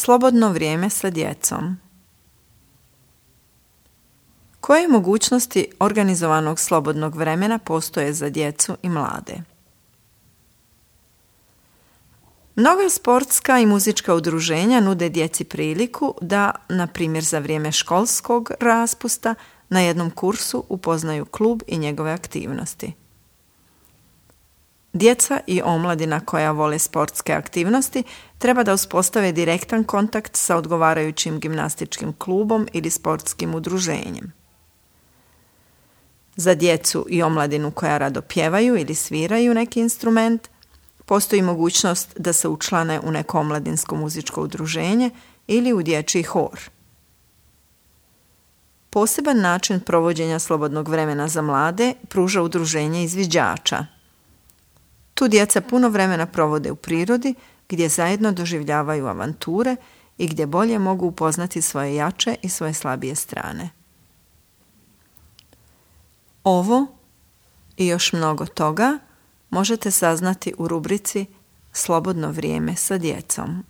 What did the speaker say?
Slobodno vrijeme sa djecom. Koje mogućnosti organizovanog slobodnog vremena postoje za djecu i mlade? Mnoga sportska i muzička udruženja nude djeci priliku da, na primjer za vrijeme školskog raspusta, na jednom kursu upoznaju klub i njegove aktivnosti. Djeca i omladina koja vole sportske aktivnosti treba da uspostave direktan kontakt sa odgovarajućim gimnastičkim klubom ili sportskim udruženjem. Za djecu i omladinu koja rado pjevaju ili sviraju neki instrument, postoji mogućnost da se učlane u neko omladinsko muzičko udruženje ili u dječji hor. Poseban način provođenja slobodnog vremena za mlade pruža udruženje izviđača. Tu djeca puno vremena provode u prirodi, gdje zajedno doživljavaju avanture i gdje bolje mogu upoznati svoje jače i svoje slabije strane. Ovo i još mnogo toga možete saznati u rubrici Slobodno vrijeme sa djecom.